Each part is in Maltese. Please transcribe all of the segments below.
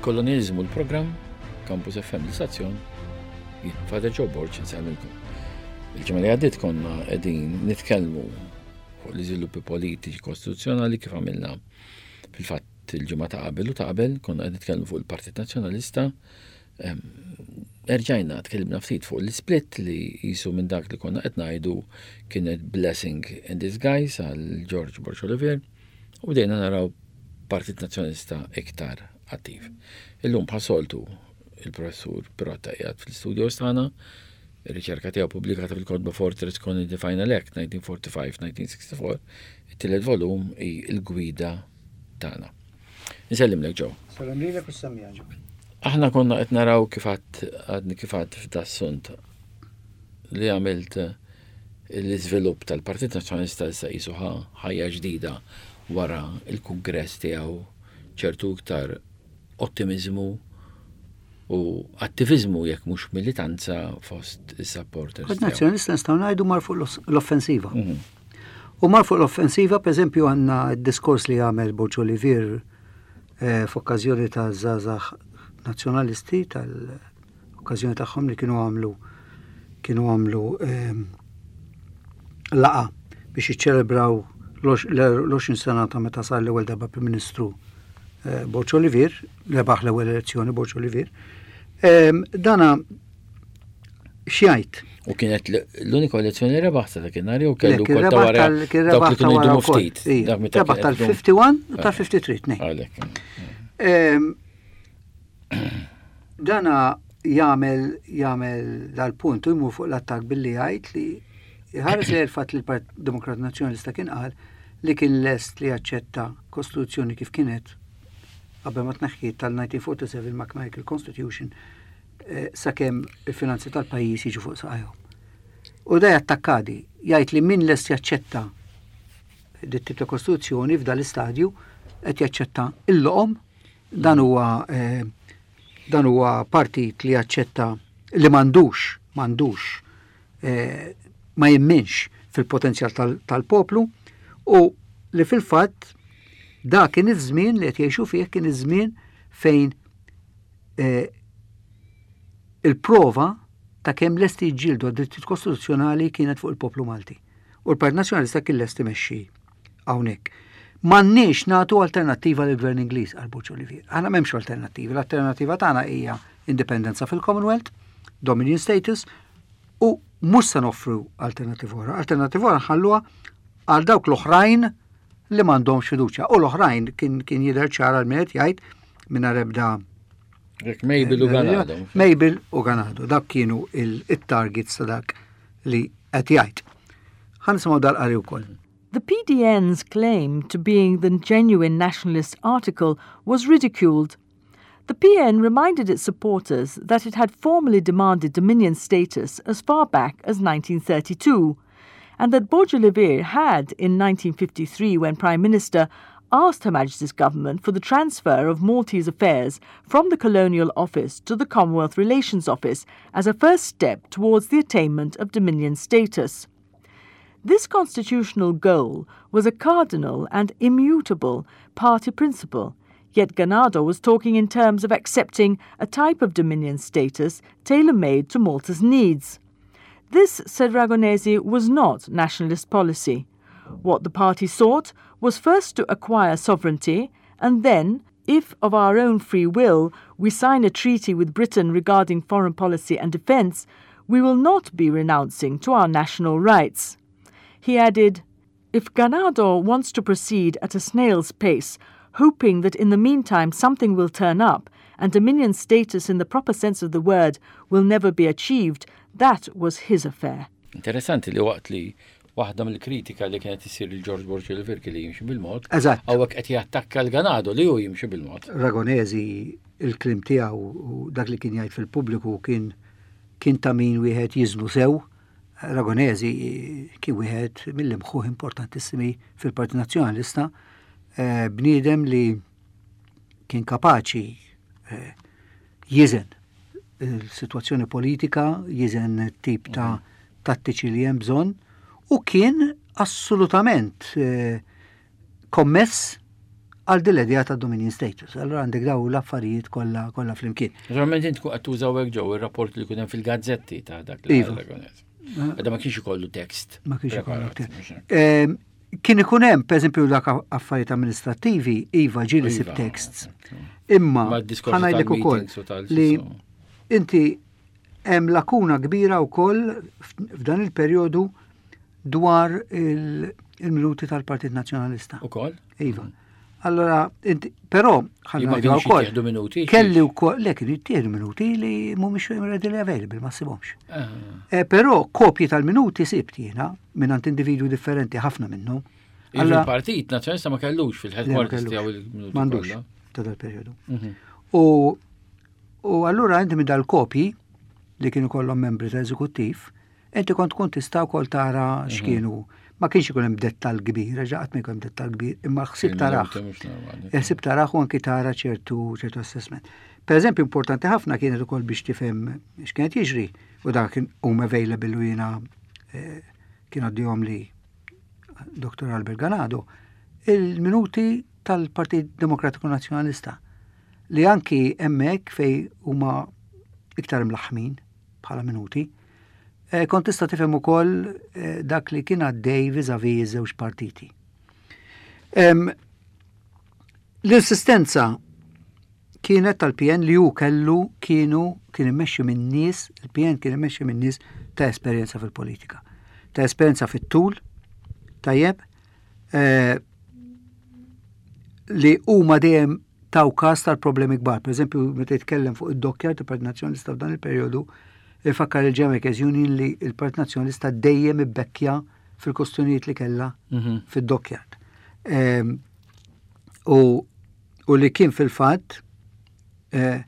Il-kolonializmu l-programm, Campus FM l-istazzjon, jien Father Joe Borg insellmilkom. Il-ġimgħa li għaddiet konna qegħdin nitkellmu fuq l-iżviluppi politiċi kostituzzjonali kif għamilna fil-fatt il-ġimgħa ta' qabel u ta' qabel konna qed nitkellmu fuq il-Partit Nazzjonalista. Erġajna tkellimna ftit fuq l-split li jisu minn dak li konna qed ngħidu kienet blessing in disguise għal George Borg Olivier u bdejna naraw Partit Nazzjonalista iktar attiv. Illum bħas-soltu il-Professur Pirotta qiegħed fl-istudios tagħna, ir-riċerka tiegħu pubblikata fil-kotba Fortress Colony the Final Act 1945-1964, it-tielet volum hi l-gwida tagħna. Insellimlek Joe. Salam lilek u s-semmiegħa Joe. Aħna konna qed naraw kif għadni kif għad f'das-sunt li għamilt l-iżvilupp tal-Partit Nazzjonalista issa qisu ħa ħajja ġdida wara l-kungress tiegħu ċertu iktar ottimiżmu u attiviżmu jekk mhux militanza fost is-supporters. Partit Nazzjonalista nistgħu ngħidu mar fuq l-offensiva. Mhm. U mar fuq l-offensiva, pereżempju għandna d-diskors li għamel Borġ Olivier eh, f'okkażjoni ta' żgħażagħ nazzjonalisti tal- okkażjoni tagħhom li kienu għamlu kienu għamlu ehm, laqa biex jiċċelebraw l-20 sena ta' meta sar l-ewwel darba Prim Ministru eh, Borġ Olivier, rebaħ l-ewwel elezzjoni Borġ Olivier. Ehm, dana xjajt. U kienet l-unika elezzjoni li rebaħ sa dakinhar jew kellu kol ta' wara dawk li kienu jdumu ftit. Rebaħ tal-51 u tal-53 nej. Ehm, Dana jagħmel jagħmel dal-punt u jmur fuq l-attakk billi jgħid li jħares li l-fatt li l-Partit Demokrat Nazzjonalista kien qal li kien lest li jaċċetta kostituzzjoni kif kienet qabel ma tneħħiet tal-1947 McMichael Constitution eh, sakemm il-finanzi tal-pajjiż jiġu fuq saqajhom. U da jattakkadi, jgħid li min lest jaċċetta dit tip ta' kostituzzjoni f'dal-istadju qed jaċċetta il-loqom Dan huwa eh, dan huwa partit li jaċċetta li m'għandux m'għandux eh, ma jemminx fil-potenzjal tal-poplu u li fil-fatt da kien iż-żmien li qed jgħixu fih kien iż-żmien fejn eh, il-prova ta' kemm lesti jġildu għad-drittijiet kostituzzjonali kienet fuq il-poplu Malti. U l-Partit Nazzjonalista kien lest imexxi hawnhekk. M'għandniex nagħtu alternattiva lill-Gvern Ingliż, qal Borg Olivier. Aħna m'hemmx alternattivi. L-alternattiva tagħna hija indipendenza fil-Commonwealth, Dominion status, u mhux se noffru alternattiva oħra. Alternattiva oħra nħalluha għal dawk l-oħrajn li m'għandhomx fiduċja. U l-oħrajn kien kien jidher ċar għal min qed jgħid mingħajr ebda Mabel u Ganado. Mabel u Ganado, dak kienu il-targets ta' dak li qed jgħid. Ħa nisimgħu dal-qari wkoll. The PDN's claim to being the genuine nationalist article was ridiculed. The PN reminded its supporters that it had formally demanded Dominion status as far back as 1932, and that Borg Olivier had, in 1953 when Prime Minister, asked Her Majesty's government for the transfer of Maltese affairs from the Colonial Office to the Commonwealth Relations Office as a first step towards the attainment of Dominion status. This constitutional goal was a cardinal and immutable party principle, yet Ganado was talking in terms of accepting a type of Dominion status tailor-made to Malta's needs. This, said Ragonesi, was not nationalist policy. What the party sought was first to acquire sovereignty and then, if of our own free will we sign a treaty with Britain regarding foreign policy and defence, we will not be renouncing to our national rights. He added, If Ganado wants to proceed at a snail's pace, hoping that in the meantime something will turn up and dominion status in the proper sense of the word will never be achieved, that was his affair. Interessanti li waqt li waħda mill-kritika li kienet issir lil George Borg Olivier li jimxi bil-mod. Eżatt. Hawnhekk qed jattakka l-Ganado li hu jimxi bil-mod. Ragonesi il-kliem tiegħu u dak li kien jgħid fil-pubbliku kien kien ta' min wieħed jiżnu sew. Ragonesi kien wieħed mill-imħuħ importantissimi fil-Partit Nazzjonalista, eh, bniedem li kien kapaċi eh, jiżen il-sitwazzjoni politika, jiżen tip ta' mhm. tattiċi li hemm bżonn u kien assolutament eh, kommess għal din l-idea ta' dominion status. Allura għandek daw l-affarijiet kollha kollha flimkien. Naturalment int tkun qed tuża hekk ġew ir-rapport li kien hemm fil-gazzetti ta' dak li iva. Għadha ma kienx ikollu tekst. Ma kienx ikollu tekst. Ehm, kien ikun hemm, pereżempju, dak affarijiet amministrattivi, iva ġieli sib iva, texts. Imma ħanajdlek ukoll li inti hemm lakuna kbira wkoll f'dan il-perjodu dwar il-minuti tal-Partit Nazzjonalista. Ukoll? Iva. Allora, inti, però, ħalli ngħidu wkoll. minuti. Kelli wkoll, le kienu jittieħdu minuti li mhumiex readily available, ma ssibhomx. Ah. Eh, però kopji tal-minuti sibt jiena minn għand individwi differenti ħafna minnhom. Allora, il-Partit Nazzjonalista ma kellux fil-headquarters tiegħu il-minuti. M'għandux ta' dal-perjodu. Mhm. U u allura inti minn dal-kopji li kienu kollhom membri ta' eżekuttiv, Inti kont tkun tista' wkoll tara mhm. x'kienu. Ma kienx ikun hemm dettal kbir, reġa' qatt ma jkun hemm dettal kbir, imma l-ħsieb taraħ. Il-ħsieb taraħ u anki tara ċertu ċertu assessment. Per eżempju, importanti ħafna kienet ukoll biex tifhem x'kienet jiġri u dak kien hum available u jiena eh, kien għaddihom li Dr. Albert Ganado, il-minuti tal-Partit Demokratiku Nazzjonalista li anki hemmhekk fej huma iktar imlaħħmin bħala minuti, Eh, kont tista' tifhem ukoll eh, dak li kien għaddej viżavi iż-żewġ partiti. L-insistenza kienet tal-PN li hu kellu kienu kien immexxi minn nies, il-PN kien immexxi minn nies ta' esperjenza fil-politika. Ta' esperjenza fit-tul, tajjeb, eh, li huma dejjem taw każ tal-problemi kbar. Per eżempju, meta jitkellem fuq id-dokkjar tal-Partit Nazzjonalista f'dan il-perjodu, ifakkar il-Jamaica's Union li il-Partit Nazzjonalista dejjem ibbekkja fil-kostjonijiet li kellha mhm. fid-dockyard. Ehm, u, u li kien fil-fatt eh,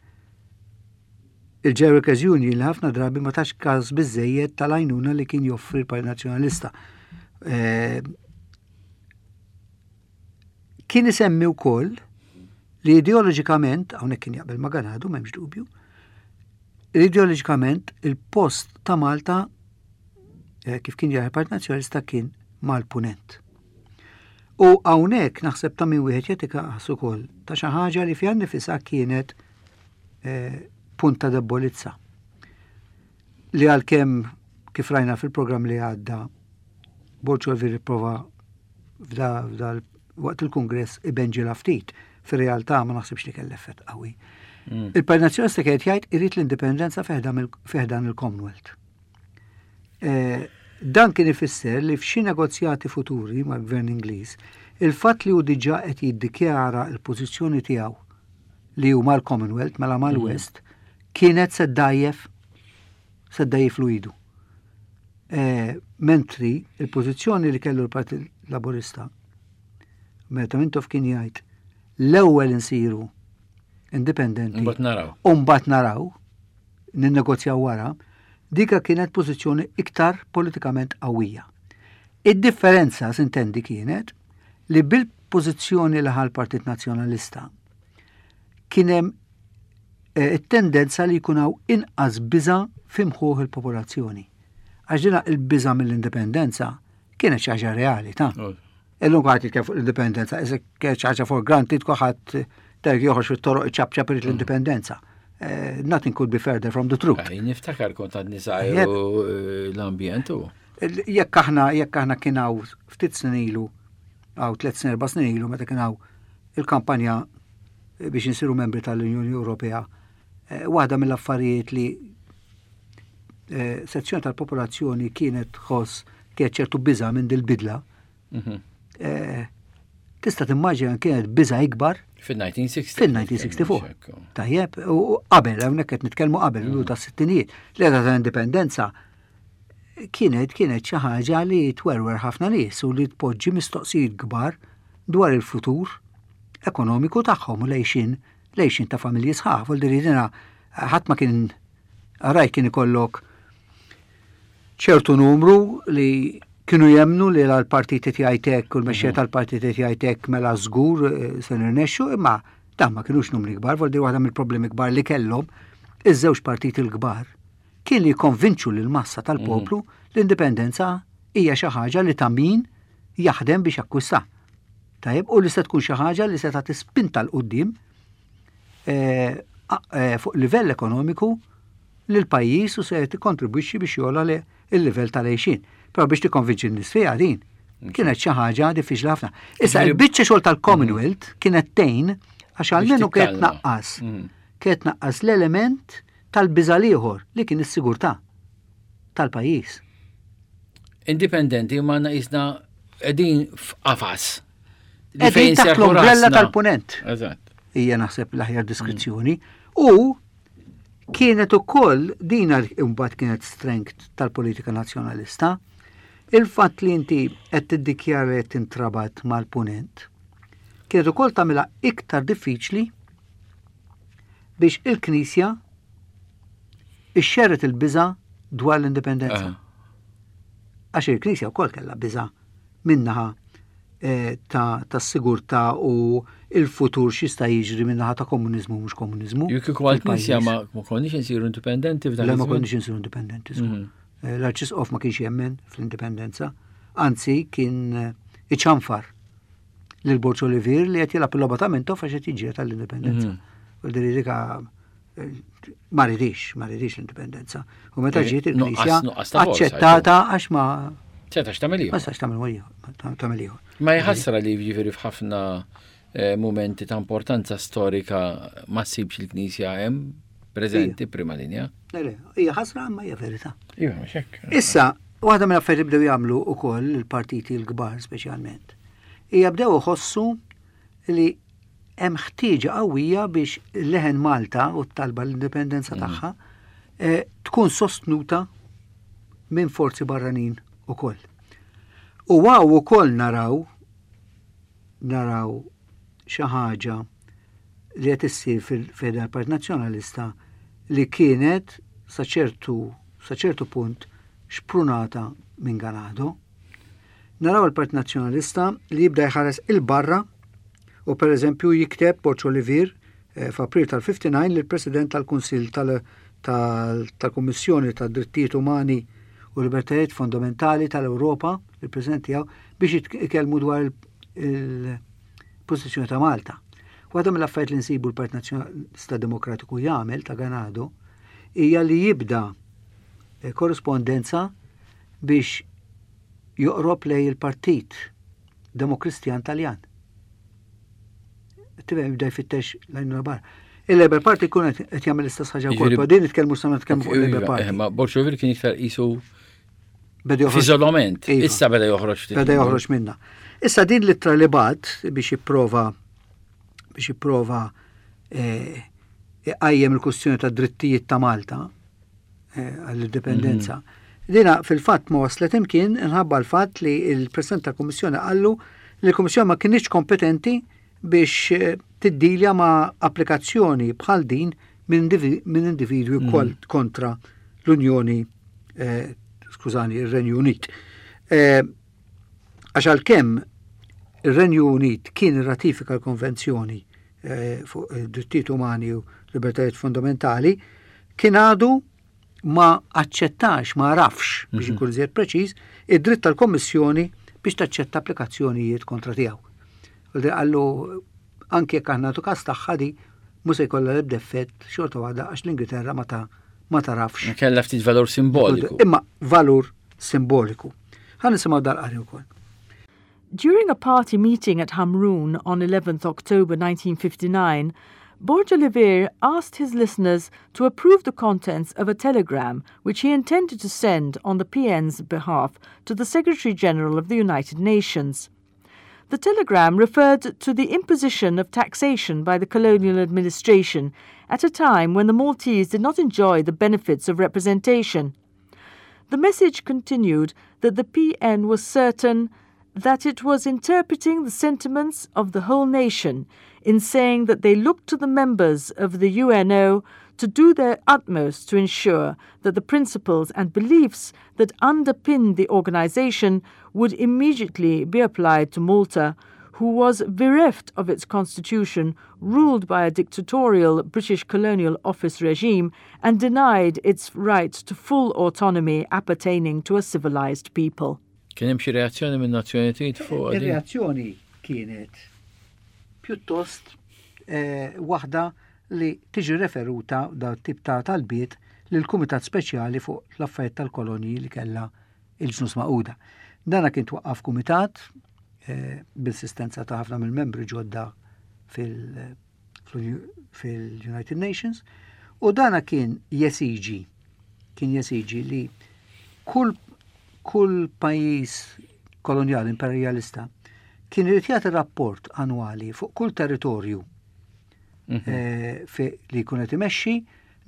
il-Jamaica's Union li ħafna drabi ma tax każ biżejjed tal-għajnuna li kien joffri l-Partit Nazzjonalista. Ehm, Kien isemmi wkoll li ideoloġikament, hawnhekk kien jaqbel ma' Ganado, m'hemmx dubju, li ideoloġikament il-post ta' Malta eh, kif kien jara Partit Nazzjonalista kien mal-punent. U hawnhekk naħseb ta' min wieħed jagħti każ ukoll ta' xi ħaġa li fiha nifisha kienet eh, punt ta' debolizza. Li għalkemm kif rajna fil-programm li għadda Borg Olivier ipprova f'da waqt il-Kungress ibenġilha ftit. Fir-realtà ma naħsibx li kell effett qawwi. Mm. Il-Partit Nazzjonalista kienet jgħid irid l-indipendenza fiħdan il-Commonwealth. Eh, dan kien ifisser li f'xi negozjati futuri mal-Gvern Ingliż, il-fatt li hu diġà qed jiddikjara l-pożizzjoni tiegħu li hu mal-Commonwealth mela mal-West mm. kienet se ddajjef se ddajjiflu idu. Eh, mentri il-pożizzjoni li kellu l-Partit Laburista meta Mintoff kien jgħid l-ewwel insiru indipendenti. Mbagħad naraw. U mbagħad naraw, ninnegozjaw wara, dika kienet pożizzjoni iktar politikament qawwija. Id-differenza sintendi kienet li bil-pożizzjoni li ħal Partit Nazzjonalista kien hemm eh, it-tendenza li jkun hawn inqas biża' f'imħuħ il-popolazzjoni. Għax dina il-biża' mill-indipendenza kienet xi ħaġa reali ta' Illum għad jitkellem fuq l-indipendenza, iżda kienet xi ħaġa for granted kulħadd terk joħroġ fit-toroq iċapċap irid l-indipendenza. Eh, nothing could be further from the truth. Eh, niftakar kont għad nisajru eh, l-ambjent u. Jekk aħna jekk aħna kien hawn ftit snin ilu, hawn tliet snin erba' snin ilu meta kien hawn il-kampanja biex insiru membri tal-Unjoni Ewropea, eh, waħda mill-affarijiet li eh, sezzjoni tal-popolazzjoni kienet tħoss kienet ċertu biża' minn dil-bidla. Mhm. Eh, tista' timmaġina kienet biża' ikbar Fil-1964. Fil-1964. Tajjeb, u qabel, hawnhekk qed nitkellmu qabel, l ta' sittinijiet, l-era ta' indipendenza kienet kienet xi ħaġa li twerwer ħafna nies u li tpoġġi mistoqsijiet kbar dwar il-futur ekonomiku tagħhom u l-għixien l-għixien ta' familji sħaħ. Vuol dire dina ħadd ma kien rajt kien ikollok ċertu numru li kienu jemnu li l-partit qed jgħid hekk u l-mexxejja mhm. tal-partit qed jgħid hekk mela żgur eh, se nirnexxu, imma dan ma kinux numri kbar, vuol dire waħda mill-problemi kbar li kellhom iż-żewġ partiti l-kbar kien li jikkonvinċu lil massa tal-poplu mhm. l-indipendenza hija xi ħaġa li ta' min jaħdem biex jakkwista. Tajjeb, u li se tkun xi ħaġa li se tagħti spinta 'l quddiem eh, eh, fuq livell ekonomiku lil pajjiż u se tikkontribwixxi biex jogħla il-livell tal-għixien. Però biex tikkonvinċi n-nies fiha din kienet xi ħaġa diffiċli ħafna. Issa il-biċċa xogħol tal-Commonwealth mm. kienet tgħin għax almenu kienet tnaqqas. Mm. Kienet tnaqqas l-element tal-biża' ieħor li kien is-sigurtà tal-pajjiż. Indipendenti ma qisna qegħdin f'qafas. Qegħdin taħt l-ombrella tal-punent. Eżatt. Hija naħseb l-aħjar diskrizzjoni. U kienet ukoll din imbagħad kienet strength tal-politika nazzjonalista. Il-fatt li inti qed tiddikjara li qed tintrabat mal-punent kienet ukoll tagħmilha iktar diffiċli biex il-Knisja ixxerret il-biża' dwar l-indipendenza. Għax il-Knisja wkoll kellha biża' minnaħa eh, ta' sigurtà u il-futur x'jista' jiġri minnaħa ta' komuniżmu mhux komuniżmu. Jekk kieku għall-Knisja ma konniex insiru indipendenti f'dan. Le ma konniex insiru indipendenti. Mhm. Eh, L-Arċisqof ma kienx jemmen fl-indipendenza, anzi kien eh, iċanfar lil Borġ Olivier li qed jilgħab il-logħba ta' Mintoff għax qed jiġġieled għall-indipendenza. Mhm. U dika ma ridix, ma ridix l-indipendenza. U meta eh, ġiet il-Knisja aċċettata għax ma Setax tagħmel ieħor. Ma setax tagħmel tagħmel ieħor. Ma jħassra li jiġifieri f'ħafna eh, momenti ta' importanza storika ma ssibx il-Knisja hemm preżenti prima linja. Le, le, hija ħasra imma hija verità. Iva, mhux hekk. Issa, waħda mill-affarijiet li bdew jagħmlu wkoll il-partiti l-kbar speċjalment, hija bdew iħossu li hemm ħtieġa qawwija biex leħen Malta u t-talba l-indipendenza mm. tagħha eh, tkun sostnuta minn forzi barranin ukoll. U għaw ukoll naraw naraw xi ħaġa li qed issir fil-Federal Partit Nazzjonalista li kienet sa ċertu sa ċertu punt xprunata minn Ganado. Naraw il-Partit Nazzjonalista li jibda jħares il-barra u per eżempju jikteb Borg Olivier eh, f'April tal-59 lill-President tal-Kunsill tal-Kummissjoni tad-Drittijiet Umani u Libertajiet Fundamentali tal-Ewropa, il-President tiegħu, biex jitkellmu dwar il-pożizzjoni ta' Malta. Waħda mill-affarijiet li nsibu l-Partit Nazzjonalista Demokratiku jagħmel ta' Ganado hija li jibda eh, korrispondenza biex joqrob lej il-Partit Demokristjan Taljan. Tifhem jibda jfittex l-għajnuna barra. Il-Labour Party kun qed jagħmel l-istess ħaġa wkoll, però din nitkellmu sa nitkellmu fuq il-Labour iva, Party. Eh, ma Bolsonaro kien iktar qisu F'iżolament, iva. issa beda joħroġ ftit. Beda joħroġ minna. Issa din l-ittra li bat biex jipprova biex jipprova eh, iqajjem il-kwistjoni ta' drittijiet ta' Malta eh, għall-indipendenza. Mhm. Dina fil-fatt ma waslet imkien inħabba l-fatt li il-President tal-Kummissjoni qallu li l-Kummissjoni ma kinitx kompetenti biex eh, tiddilja ma' applikazzjoni bħal din minn individwi mhm. kontra l-Unjoni eh, skużani, ir-Renju Unit. Eh, għax għalkemm ir-Renju Unit kien irratifika l-Konvenzjoni eh, fuq id-drittijiet umani u libertajiet fundamentali, kien għadu ma aċċettax, ma għarafx, biex mhm. inkun iżjed preċiż, id-dritt tal-Kommissjoni biex taċċetta applikazzjonijiet kontra tiegħu. U għallu anke jekk aħna nagħtu każ tagħha di mhux se jkollha l-ebda effett xorta waħda għax l-Ingilterra ma ta' ma tarafx. Kella ftit valur simboliku. Imma valur simboliku. Ħa nisimgħu dal-qari wkoll. During a party meeting at Hamrun on 11th October 1959, Borg Olivier asked his listeners to approve the contents of a telegram which he intended to send on the PN's behalf to the Secretary General of the United Nations. The telegram referred to the imposition of taxation by the colonial administration at a time when the Maltese did not enjoy the benefits of representation. The message continued that the PN was certain that it was interpreting the sentiments of the whole nation in saying that they looked to the members of the UNO to do their utmost to ensure that the principles and beliefs that underpinned the organization would immediately be applied to Malta, who was bereft of its constitution, ruled by a dictatorial British Colonial Office regime, and denied its right to full autonomy appertaining to a civilized people. Kien hemm xi reazzjoni minn Nazzjonijiet fuq din? Ir-reazzjoni kienet pjuttost eh, waħda li tiġi referuta da tip ta' talbiet lil kumitat speċjali fuq l-affarijiet tal-kolonji li kellha il-Ġnus Magħquda. Dana kien twaqqaf kumitat eh, bil-sistenza ta' ħafna mill-membri ġodda fil-United Nations u dana kien jesiġi kien jesiġi li kull kull pajjiż kolonjali imperjalista kien irid jagħti rapport annwali fuq kull territorju mm -hmm. eh, li jkun qed imexxi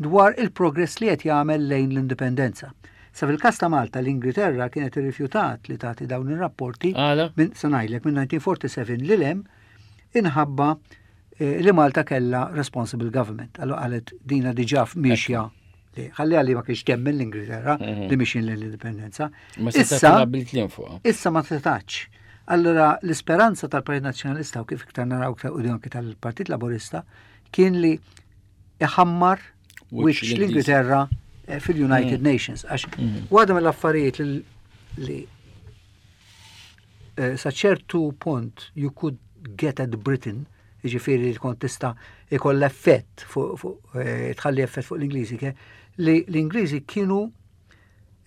dwar il-progress li qed jagħmel lejn l-indipendenza. Sa fil-każ ta' Malta l-Ingilterra kienet irrifjutat li tagħti dawn ir-rapporti minn sa ngħidlek minn 1947 lil hemm inħabba eh, li Malta kellha responsible government. Allora qalet dina diġà mixja li ħalli għalli ma kienx temmen l-Ingilterra mhm. li mixin l-indipendenza. Issa issa ma setax. Allora l-isperanza tal-Partit Nazzjonalista u kif iktar naraw iktar u anke tal-Partit Laburista kien li iħammar wiċċ l-Ingilterra eh, fil-United mm. Nations. Għax mm. waħda mill-affarijiet li eh, sa ċertu punt you could get at Britain, jiġifieri li kont tista' ikoll effett fuq eh, tħalli effett fuq l-Ingliżi, li l-Ingliżi kienu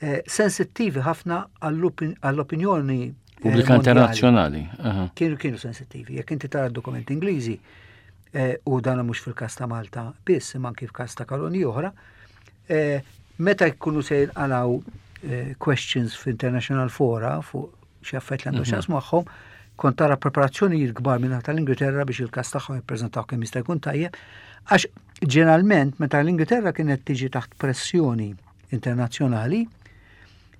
eh, sensittivi ħafna għall-opinjoni eh, pubblika internazzjonali. Kienu kienu sensittivi. Jekk inti tara dokumenti Ingliżi eh, u dan mhux fil-każ ta' Malta biss, imma anki f'każ ta' kolonji oħra, meta jkunu se jinqalaw questions f'international fora fuq xi affett li għandu mhm. x'jaqsmu magħhom, kont tara preparazzjonijiet kbar minn tal-Ingilterra biex il-każ tagħhom jippreżentaw kemm jista' jkun tajjeb, għax ġeneralment meta l-Ingilterra kienet tiġi taħt pressjoni internazzjonali,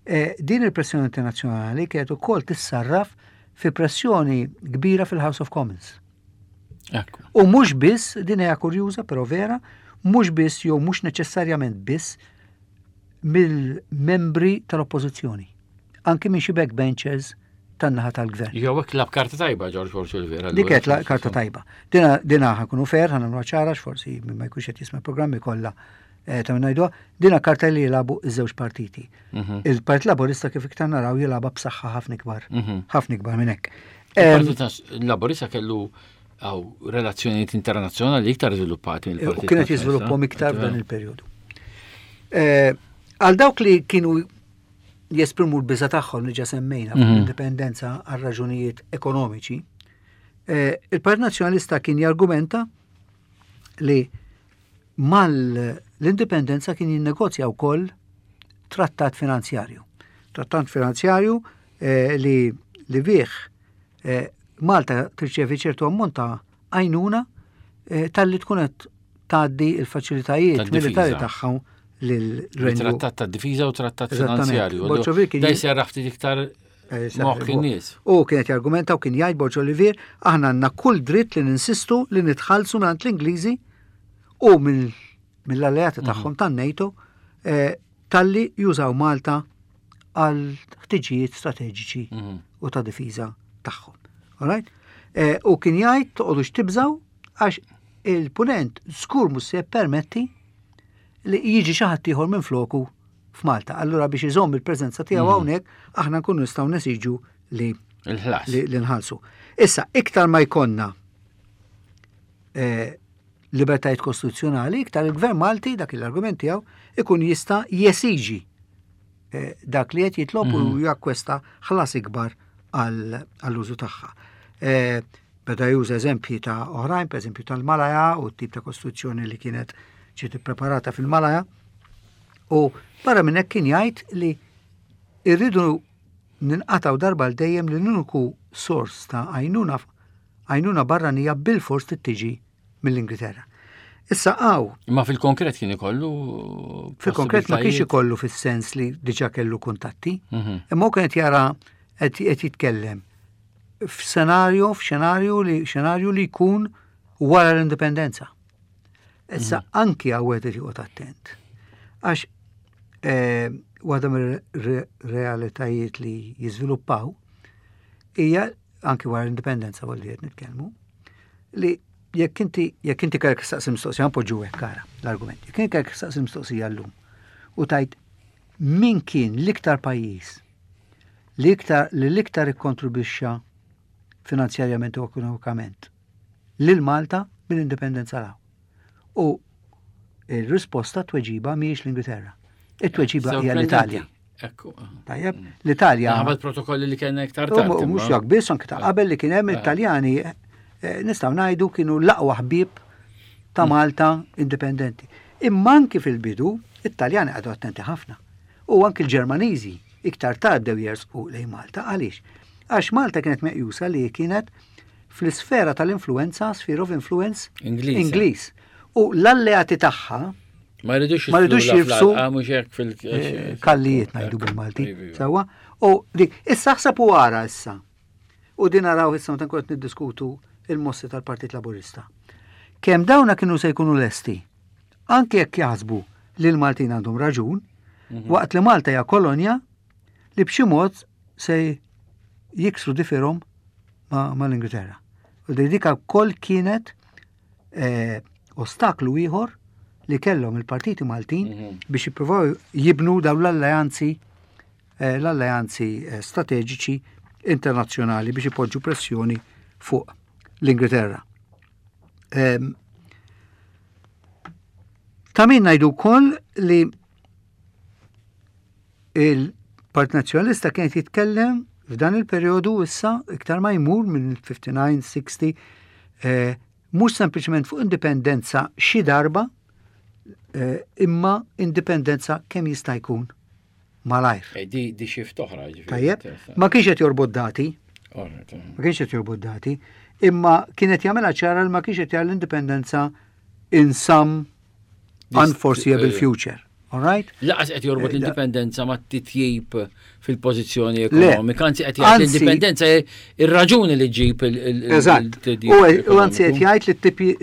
eh, din il-pressjoni internazzjonali kienet ukoll tissarraf fi pressjoni kbira fil-House of Commons. U mhux biss, din hija kurjuża però vera, mhux biss jew mhux neċessarjament biss mill-membri tal-oppożizzjoni, anki minn xi backbenchers tan-naħa tal-gvern. Jew hekk lab karta tajba George Borg Oliveira. Dik qed karta tajba. Dina dina ħakunu fer, ħanagħmlu ċara forsi min ma jkunx qed jisma' programmi kollha eh, ta' ngħidu, dina karta li jilagħbu iż-żewġ partiti. Mhm. Il-Partit Laburista kif iktar naraw jilagħba b'saħħa ħafna ikbar. Mhm. Ħafna ikbar minn hekk. Il-Partit Laburista kellu għaw relazzjonijiet internazzjonali iktar żviluppati mill-Partit. U kienet jiżviluppahom iktar f'dan il-perjodu. Eh, għal dawk li kienu jesprimu l-biża tagħhom li ġa semmejna fuq mhm. l-indipendenza għal raġunijiet ekonomiċi, eh, il-Partit Nazzjonalista kien jargumenta li mal-indipendenza kien jinnegozja wkoll trattat finanzjarju. Trattat finanzjarju eh, li li bih eh, Malta tirċevi ċertu ammont ta' għajnuna talli tkun qed tgħaddi l-faċilitajiet militari tagħha lil Trattat ta' difiża u trattat finanzjarju. Da jserraħ ftit iktar eh, moħħ in-nies. U kienet jargumenta u kien jgħid Borġ Olivier, aħna għandna kull dritt li ninsistu li nitħallsu mingħand l-Ingliżi u mill-alleati mhm. tagħhom tan-NATO eh, talli jużaw Malta għal ħtiġijiet strateġiċi mhm. u ta' difiża tagħhom. Alright? Eh, u kien jgħid toqgħodux tibżaw għax il-punent żgur mhux se jippermetti li jiġi xi ħadd ieħor minn floku f'Malta. Allura biex iżomm il-preżenza tiegħu mhm. hawnhekk aħna nkunu nistgħu nesiġu li li nħallsu. Issa iktar ma jkollna eh, libertajiet kostituzzjonali, iktar il-Gvern Malti dak l-argument tiegħu ikun jista' jesiġi eh, dak li qed jitlob u mhm. jakkwesta ħlas ikbar għall-użu tagħha. Eh, beda juża eżempji ta' oħrajn, per eżempju tal-Malaja u t-tip ta' kostruzzjoni li kienet ġiet ippreparata fil-Malaja. U barra minn hekk kien jgħid li irridu ninqataw darba l dejjem li l-uniku sors ta' għajnuna għajnuna barranija bil-fors tiġi mill-Ingilterra. Issa għaw. Imma fil-konkret kien ikollu. Fil-konkret ma kienx ikollu fis-sens li diġa kellu kuntatti, mhm. imma hu kienet jara qed jitkellem f'senarju, f'xenarju li xenarju li jkun wara l-indipendenza. Issa mhm. anki għawet qed joqgħod attent. Għax eh, waħda mir-realitajiet li jiżviluppaw hija anki wara l-indipendenza li qed nitkellmu, li jekk inti jekk inti kellek tistaqsi mistoqsija npoġġu hekk ara l-argument. Jekk inti kellek tistaqsi mistoqsija llum u tajt min kien l-iktar pajjiż li iktar li l-iktar ikkontribwixxa finanzjarjament u ekonomikament lil Malta mill-indipendenza 'l hawn. U il-risposta tweġiba mhijiex l-Ingilterra. It-tweġiba hija l-Italja. Ekku. Tajjeb, l-Italja. Ħabba protokolli li kien iktar tard. Mhux jak biss anke ta' qabel li kien hemm it-Taljani eh, nistgħu ngħidu kienu l-aqwa ħbieb ta' mm. Malta indipendenti. Imma anki fil-bidu, it-Taljani qagħdu attenti ħafna. U anki l-Ġermaniżi iktar tard bdew jersqu lejn Malta. Għaliex? Għax Malta kienet meqjusa li kienet fl-isfera tal-influenza, sphere of influence, Ingliż. U l-alleati tagħha ma jridux ma jridux jirfsu fil eh, kallijiet ngħidu bil-Malti. Sewwa? U dik issa ħseb u ara issa. U din naraw issa meta nkun qed niddiskutu il-mossi tal-Partit Laburista. Kemm dawna kienu se jkunu lesti, anke jekk jaħsbu li l-Maltin għandhom raġun, mhm. waqt li Malta hija kolonja li b'xi mod se jiksru difirhom ma' l-Ingilterra. U dika wkoll kienet eh, ostaklu ieħor li kellhom il-partiti Maltin mhm. biex jippruvaw jibnu dawn l-alleanzi eh, l-alleanzi eh, strateġiċi internazzjonali biex ipoġġu pressjoni fuq l-Ingilterra. Ehm, ta' min ngħidu wkoll li Il-Partit Nazzjonalista kien qed jitkellem f'dan il-perjodu issa iktar ma jmur minn 59-60 eh, mhux sempliċement fuq indipendenza xi darba eh, imma indipendenza kemm jista' jkun malajr. Eh, di, di xift oħra. Tajjeb, ma kienx qed jorbot dati. Ma kienx qed jorbot dati, imma kienet jagħmilha ċara li ma kienx qed jagħmel l-indipendenza in some unforeseeable eh, future. All right? Laqas qed jorbot eh, l-indipendenza ma' titjib fil-pożizzjoni ekonomika, anzi qed jgħid l-indipendenza ir-raġuni li ġib il-titjib. U anzi qed jgħid li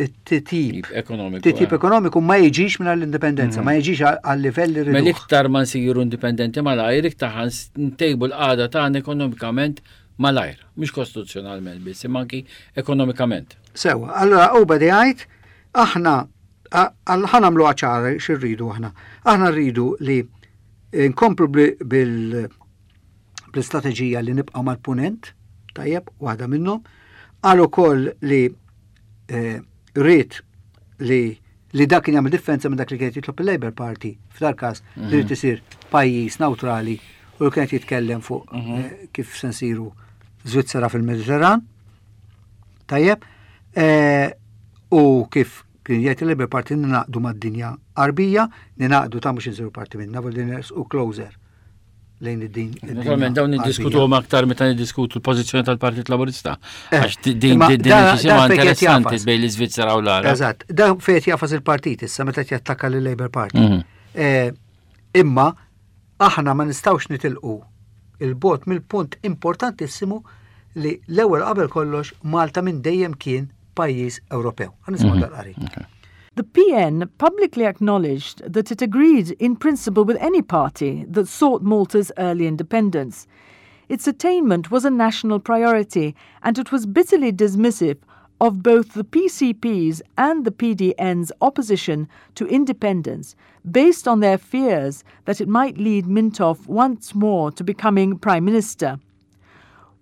t-titjib ekonomiku. Titjib eh. ekonomiku ma jiġix minn l-indipendenza, ma mhm. jiġix għal-livell li Mela iktar ma nsiru indipendenti malajr, iktar ntejbu l-qagħda tagħna ekonomikament malajr, mhux kostituzzjonalment biss, imma anki ekonomikament. Sewa, allora u bedi jgħid aħna ħa nagħmluha ċara x'irridu aħna. Aħna rridu li nkomplu bil bl-istrateġija li nibqa' mal-punent, tajjeb, waħda minnhom. Qal ukoll li eh, rrid li li dak kien jagħmel differenza minn dak li kienet jitlob il-Labour Party f'dal każ li mhm. rrid isir pajjiż nawtrali u li kienet jitkellem fuq mhm. eh, kif se nsiru Svizzera fil-Mediterran. Tajjeb, eh, U kif kien jgħid il-Labour Party ninaqdu mad-dinja Għarbija, ninaqdu ta' mhux insiru parti minnha, voldiri nersqu closer lejn id-din. Naturalment dawn niddiskutuhom aktar meta niddiskutu l-pożizzjoni tal-Partit Laburista. Eh, Għax din din deċiżjoni interessanti bejn l-Iżvizzera u l-Għarab. Eżatt, da fejn jafas il-partit issa meta jattakka lil Labour Party. Mhm. Eh, imma aħna ma nistgħux nitilqu il-bot mill-punt importantissimu li l-ewwel qabel kollox Malta minn dejjem kien pajjiż Ewropew. Ħa nisimgħu mhm. dal-qari. The PN publicly acknowledged that it agreed in principle with any party that sought Malta's early independence. Its attainment was a national priority, and it was bitterly dismissive of both the PCP's and the PDN's opposition to independence, based on their fears that it might lead Mintoff once more to becoming Prime Minister.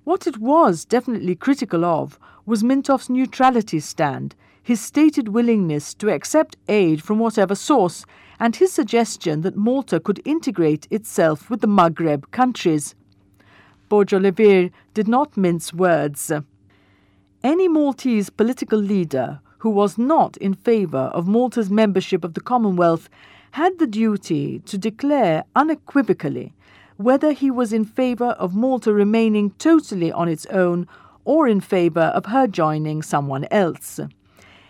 What it was definitely critical of was Mintoff's neutrality stand, his stated willingness to accept aid from whatever source, and his suggestion that Malta could integrate itself with the Maghreb countries. Borg Olivier did not mince words. Any Maltese political leader who was not in favour of Malta's membership of the Commonwealth had the duty to declare unequivocally whether he was in favour of Malta remaining totally on its own or in favour of her joining someone else.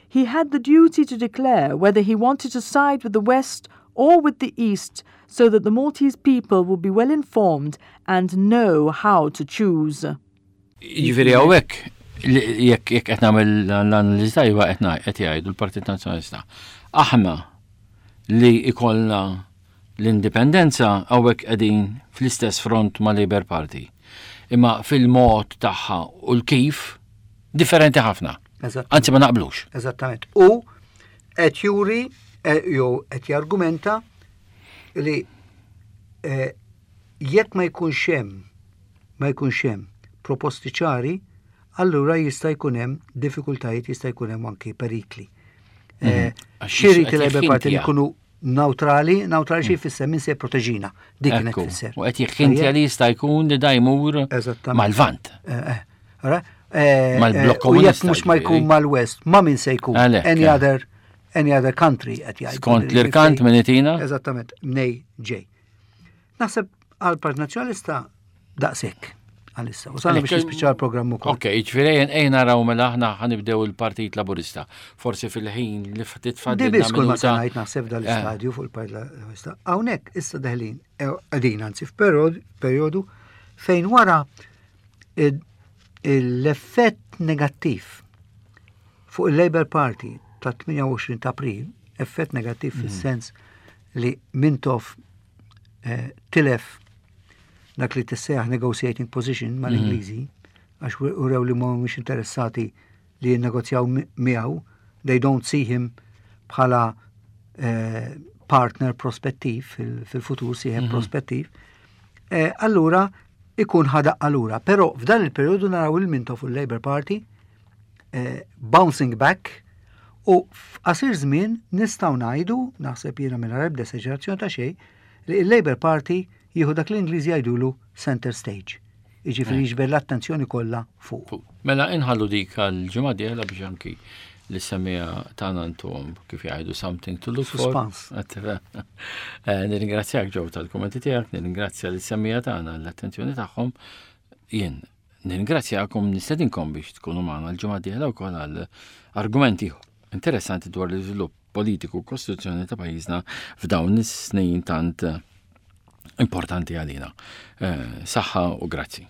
He had the duty to declare whether he wanted to side with the West or with the East so that the Maltese people would be well informed and know how to choose. Jiġifieri hawnhekk jekk jekk qed nagħmel l-analiżi tajba qed qed jgħidu l-Partit Nazzjonalista. Aħna li ikollna l-indipendenza hawnhekk qegħdin fl-istess front ma' Labour Party. Imma fil-mod tagħha u l-kif differenti ħafna. Anzi ma naqblux. Eżattament. U qed juri eh, jew qed jargumenta li eh, jekk ma jkunx hemm ma jkunx hemm proposti ċari, allura jista' jkun hemm diffikultajiet, jista' jkun hemm anki perikli. Mhm. Eh, Xi jrid il-Labour Party li jkunu Neutrali, neutrali xi jfisser min se jipproteġina. Dik kienet tfisser. U qed jikħintja li jista' jkun li da jmur mal-Lvant. Eh, eh, eh, Mal-blokk komunista. U jekk mhux ma jkun mal-West, ma min se jkun? Any other any other country qed jgħid. Skont l-irkant minn itina? Eżattament, mnej ġej. Naħseb għal Partit Nazzjonalista daqshekk għalissa. U sanna biex nispiċċa l-programm ukoll. Ok, ġifieri ejn naraw mela aħna ħanibdew il-Partit Laburista. Forsi fil-ħin li ftit fadli. Di biss kull ma se ngħid naħseb dal-istadju eh. fuq il-Partit Laburista. Hawnhekk issa deħlin eh, qegħdin anzi f'perjodu fejn wara l-effett negattiv fuq il-Labour Party ta' 28 ta' April, effett negattiv mm. fis-sens li Mintoff eh, tilef dak li tissejjaħ negotiating position mal-Ingliżi, mhm. għax urew li mhumiex interessati li jinnegozjaw miegħu, they don't see him bħala eh, partner prospettiv fil-futur, sieħeb mhm. prospettiv. Eh, allura ikun ħadaq allura. Però f'dan il-periodu naraw il-Mintoff u l-Labour Party eh, bouncing back u f'qasir żmien nistgħu ngħidu, naħseb jiena mingħajr ebda esaġerazzjoni ta' xejn, li l-Labour Party jieħu dak li l-Ingliżi jgħidulu center stage. Jiġifieri eh. jiġbed l-attenzjoni kollha fuq. Mela inħallu dik għal-ġimgħa dieħla biex anki li semija tagħna ntuhom kif jgħidu something to look for. Eh, nirringrazzjak ġew tal-kummenti tiegħek, nirringrazzja li semija tagħna l-attenzjoni tagħhom. Jien Nirringrazzjakom nistedinkom biex tkunu magħna l-ġimgħa d-dieħla wkoll għal argumenti interessanti dwar l-iżvilupp politiku u kostituzzjoni ta' pajjiżna f'dawn is-snin tant importanti għalina. Eh, saħħa u grazzi.